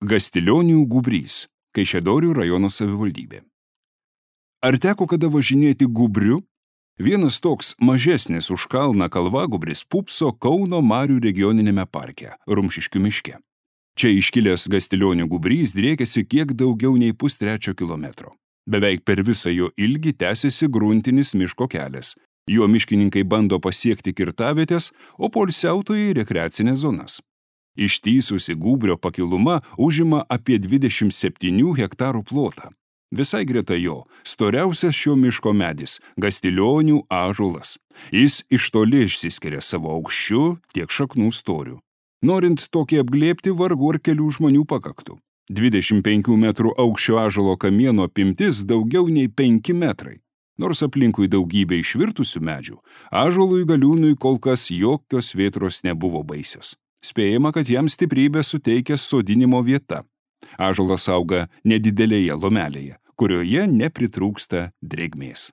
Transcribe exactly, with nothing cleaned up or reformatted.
Gastilionių gūbrys, Kaišiadorių rajono savivaldybė. Ar teko kada važinėti gūbriu? Vienas toks mažesnis už kalną kalvagūbris pūpso Kauno Marių regioninėme parke, Rumšiškių miške. Čia iškilęs Gastilionių gūbrys driekiasi kiek daugiau nei pustrečio kilometro. Beveik per visą jo ilgį tęsiasi gruntinis miško kelias. Juo miškininkai bando pasiekti kirtavietės, o poilsiautojai rekreacinės zonas. Ištįsusi gūbrio pakiluma užima apie dvidešimt septynių hektarų plotą. Visai greta jo storiausias šio miško medis – Gastilionių ąžuolas. Jis iš toli išsiskiria savo aukščiu tiek šaknų storiu. Norint tokį apglėbti, vargu ar kelių žmonių pakaktų. dvidešimt penkių metrų aukščio ąžuolo kamieno apimtis daugiau nei penki metrai. Nors aplinkui daugybė išvirtusių medžių, ąžuolui galiūnui kol kas jokios vėtros nebuvo baisios. Spėjama, kad jam stiprybę suteikia sodinimo vieta. Ąžuolas auga nedidelėje lomelėje, kurioje nepritrūksta drėgmės.